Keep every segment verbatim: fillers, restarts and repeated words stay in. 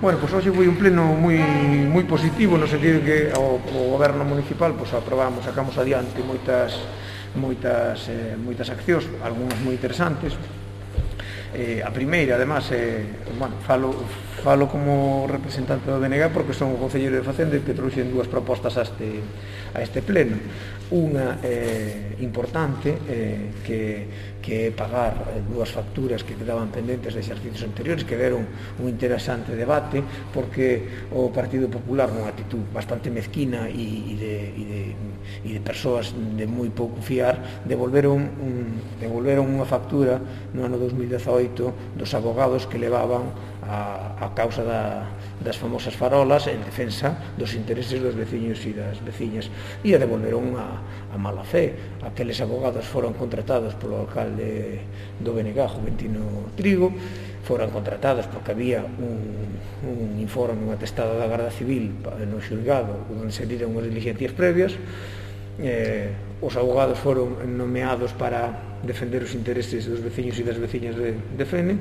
Bueno, pois hoxe foi un pleno moi moi positivo no sentido que o, o goberno municipal pois aprobamos, sacamos adiante moitas moitas eh, moitas accións, algunhas moi interesantes. Eh, a primeira, además, eh, bueno, falo, falo como representante do B N G porque son o concelleiro de Facenda que trouxen dúas propostas a este, a este pleno. Unha eh, importante eh, que, que é pagar dúas facturas que quedaban pendentes de exercicios anteriores, que deron un interesante debate porque o Partido Popular, nunha actitud bastante mezquina e, e, de, e, de, e de persoas de moi pouco fiar, devolveron, un, devolveron unha factura no ano dos mil dezaoito dos abogados que levaban a, a causa da, das famosas farolas en defensa dos intereses dos veciños e das veciñas, e a devolveron a, a mala fe. Aqueles abogados foron contratados polo alcalde do B N G, Juventino Trigo, foran contratados porque había un, un informe, un atestado da Garda Civil no xulgado onde se viran unhas diligencias previas. Eh, os abogados foron nomeados para defender os intereses dos veciños e das veciñas de, de Fene,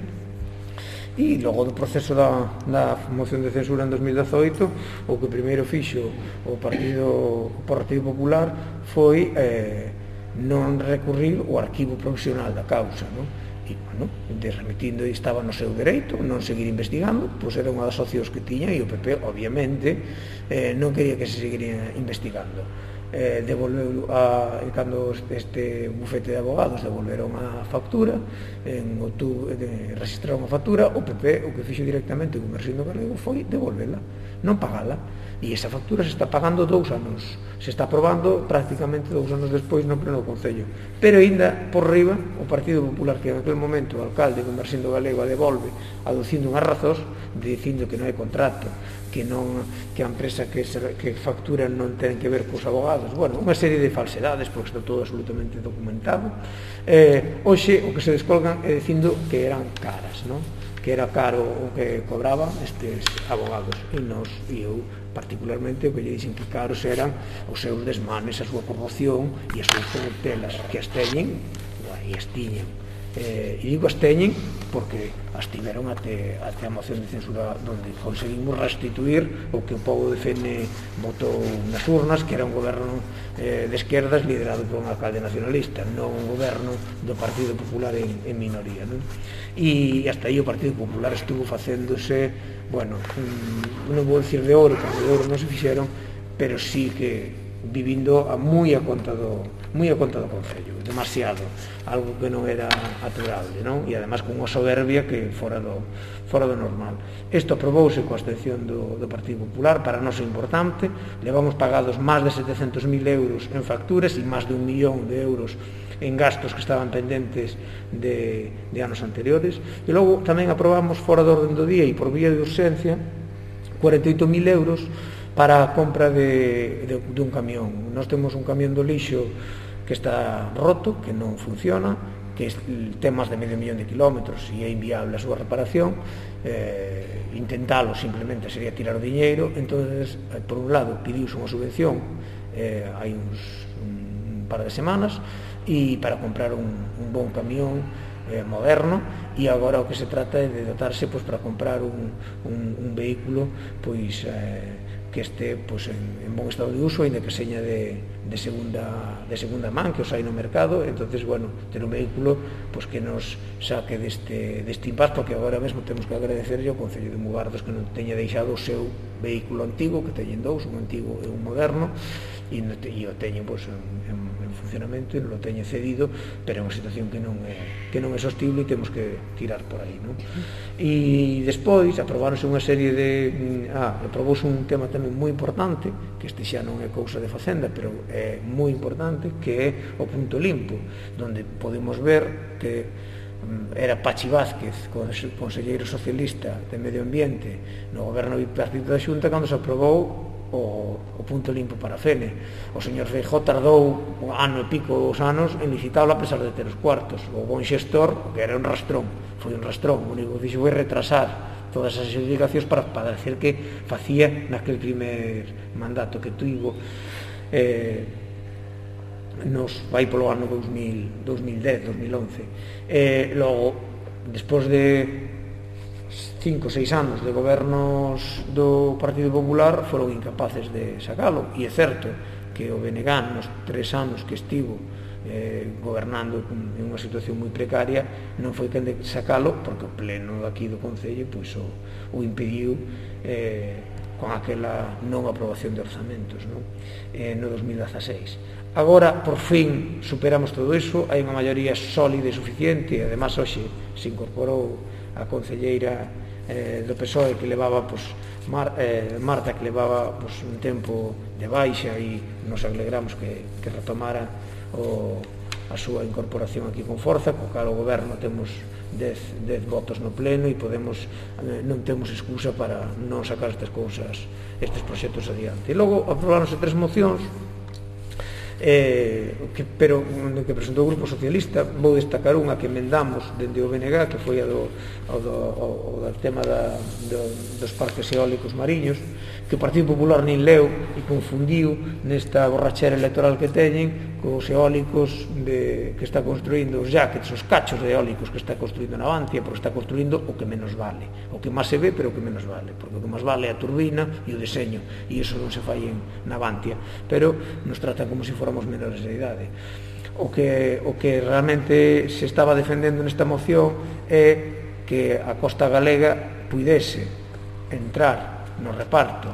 e logo do proceso da, da moción de censura en dos mil dezaoito o que primeiro fixo o Partido, o Partido Popular foi eh, non recurrir o arquivo provisional da causa, non? E, bueno, de remitindo e estaba no seu dereito non seguir investigando, pois era unha das opcións que tiña, e o P P obviamente eh, non quería que se seguiría investigando. Eh, devolveu a, cando este bufete de abogados devolveron a factura en outubro, de, registraron a factura, o P P o que fixo directamente con Mersindo Galego foi devolvela, non pagala, e esa factura se está pagando dous anos, se está aprobando prácticamente dous anos despois no pleno do Concello, pero ainda por riba o Partido Popular, que en aquel momento o alcalde con Mersindo Galego a devolve aducindo unhas razóns, dicindo que non hai contrato, que non, que a empresa que, se, que factura non ten que ver cos abogados, bueno, unha serie de falsedades porque está todo absolutamente documentado. Eh, hoxe o que se descolgan é dicindo que eran caras, non? Que era caro o que cobraban estes abogados, e nos, e eu particularmente o que lle dixen que caros eran os seus desmanes, a súa corrupción e as súas corruptelas, que as teñen e as tiñen. Eh, e digo as teñen porque as tiveron até, até a moción de censura onde conseguimos restituir o que o povo de Fene votou nas urnas, que era un goberno eh, de esquerdas liderado por un alcalde nacionalista, non un goberno do Partido Popular en, en minoría, non? E hasta aí o Partido Popular estuvo facéndose, bueno, non vou dicir de ouro, porque de ouro non se fixeron, pero sí que vivindo a moi a conta do moi a conta do Concello, demasiado, algo que non era aturable, non? E además con unha soberbia que fora do fora do normal. Isto aprobouse coa abstención do, do Partido Popular, para nós é importante, levamos pagados máis de setecentos mil euros en facturas e máis de un millón de euros en gastos que estaban pendentes de, de anos anteriores, e logo tamén aprobamos fora do orden do día e por vía de urxencia cuarenta e oito mil euros para a compra de, de, de un camión. Nós temos un camión do lixo que está roto, que non funciona, que ten máis de medio millón de kilómetros e é inviable a súa reparación. Eh, intentalo simplemente sería tirar o diñeiro. Entonces, por un lado, pidiuse unha subvención eh, hai uns un par de semanas e para comprar un, un bon camión eh, moderno, e agora o que se trata é de dotarse pois, para comprar un, un, un vehículo pois eh, que este pois, en, en bon estado de uso, ainda que seña de, de, segunda, de segunda man, que os hai no mercado. Entonces, bueno, ter un vehículo pois, que nos saque deste, deste impás, porque agora mesmo temos que agradecerlle ao Concello de Mugardos que non teña deixado o seu vehículo antigo, que teñen dous, un antigo e un moderno, e, e o teñen pois, en, en, en funcionamento, e non o teñen cedido, pero é unha situación que non é, que non é sostible e temos que tirar por aí, non? E despois aprobaronse unha serie de ah, aprobouse un tema tamén moi importante, que este xa non é cousa de Facenda, pero é moi importante, que é o punto limpo, donde podemos ver que era Pachi Vázquez, conselleiro socialista de Medio Ambiente no goberno bipartito da Xunta, cando se aprobou o, o punto limpo para Fene. O señor Feijóo tardou un ano e pico os anos en licitarlo a pesar de ter os cuartos. O bon xestor, que era un rastrón, foi un rastrón, o único que fixo foi retrasar todas as edificacións para, para decir que facía naquel primer mandato que tuvo eh, nos vai polo ano dos mil dez, dos mil once. Eh, logo, despois de cinco ou seis anos de gobernos do Partido Popular foron incapaces de sacalo, e é certo que o B N G nos tres anos que estivo eh, gobernando en unha situación moi precaria non foi quen de sacalo, porque o pleno aquí do Concello pois, o, o impediu eh, con aquela non aprobación de orzamentos, non? Eh, no dos mil dezaseis. Agora, por fin, superamos todo iso, hai unha maioría sólida e suficiente, e además hoxe se incorporou a concelleira eh, do P S O E que levaba pues, Mar, eh, Marta, que levaba pues, un tempo de baixa, e nos alegramos que, que retomara o, a súa incorporación aquí con forza, co cal o goberno temos dez votos no pleno e podemos, eh, non temos excusa para non sacar estas cousas, estes proxectos adiante. E logo aprobaronse tres mocións, Eh, que, pero que presentou o Grupo Socialista. Vou destacar unha que emendamos dende o B N G, que foi a do, o do, o, o tema da, do, dos parques eólicos mariños, que o Partido Popular nin leu e confundiu nesta borrachera electoral que teñen cos eólicos de, que está construindo os jackets, os cachos de eólicos que está construindo Navantia, porque está construindo o que menos vale, o que máis se ve pero o que menos vale, porque o que máis vale é a turbina e o deseño, e iso non se fai en Navantia, pero nos tratan como se fóramos menores de idade. O que, o que realmente se estaba defendendo nesta moción é que a costa galega puidese entrar no reparto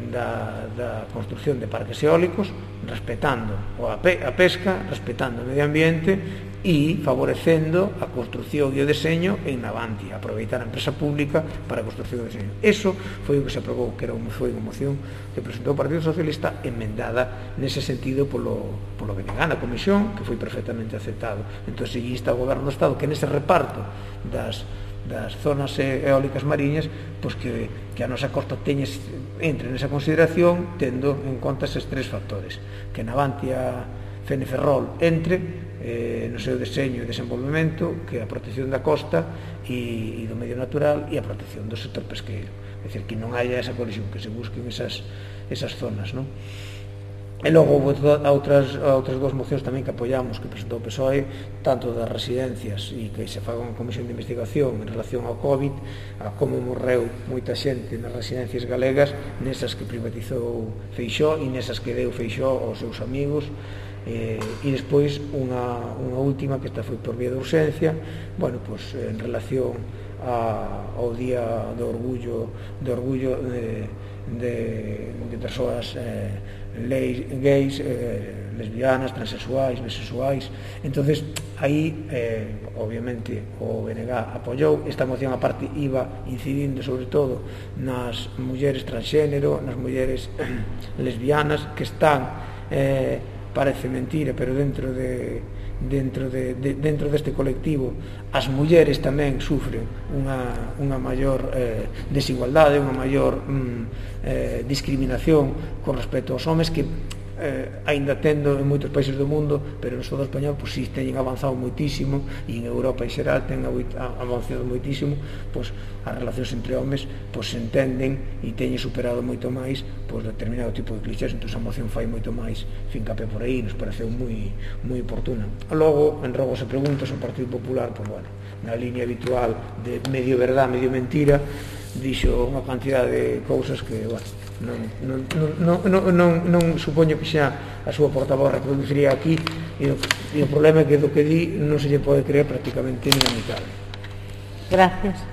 da, da construción de parques eólicos, respetando a, pe, a pesca, respetando o medio ambiente e favorecendo a construción e o deseño en Navantia, aproveitar a empresa pública para a construción e o deseño. Eso foi o que se aprobou, que era unha, foi unha moción que presentou o Partido Socialista, emendada nese sentido polo, polo B N G na comisión, que foi perfectamente aceptado. Entón, se insta ao goberno do Estado que nese reparto das das zonas eólicas mariñas, pois que, que a nosa costa teña, entre nesa consideración, tendo en conta eses tres factores, que Navantia Feneferrol entre eh, no seu deseño e desenvolvemento, que a protección da costa e, e do medio natural e a protección do sector pesqueiro, é dicir, que non haya esa colisión, que se busquen esas, esas zonas, non? E logo houve outras, outras dúas mocións tamén que apoiamos, que presentou o P S O E, tanto das residencias e que se faga unha comisión de investigación en relación ao COVID, a como morreu moita xente nas residencias galegas, nesas que privatizou Feixóo e nesas que deu Feixóo aos seus amigos, eh, e despois unha, unha última que esta foi por vía de urxencia, bueno, pues, en relación a, ao día do orgullo, do orgullo de, de, de persoas eh, leis, gays, eh, lesbianas, transexuais, bisexuais. Entonces aí eh, obviamente o B N G apoiou esta moción, a parte iba incidindo sobre todo nas mulleres transxénero, nas mulleres lesbianas que están eh, parece mentira, pero dentro de dentro de, de dentro deste colectivo as mulleres tamén sufren unha, unha maior eh, desigualdade, unha maior mm, eh, discriminación con respecto aos homes, que eh, aínda tendo en moitos países do mundo, pero no Estado español pois, si teñen avanzado moitísimo, e en Europa en xeral ten avanzado moitísimo, pois as relacións entre homes pois, se entenden e teñen superado moito máis pois, determinado tipo de clichés. Entón a moción fai moito máis fincapé por aí, nos pareceu moi, moi oportuna. Logo, en rogos e preguntas, o Partido Popular, pois, bueno, na línea habitual de medio verdad, medio mentira, dixo unha cantidad de cousas que, bueno, non, non, non, non, non, non supoño que xa a súa portavoz reproduciría aquí, e o, e o problema é que do que di non se lle pode creer prácticamente ni a mitad. Gracias.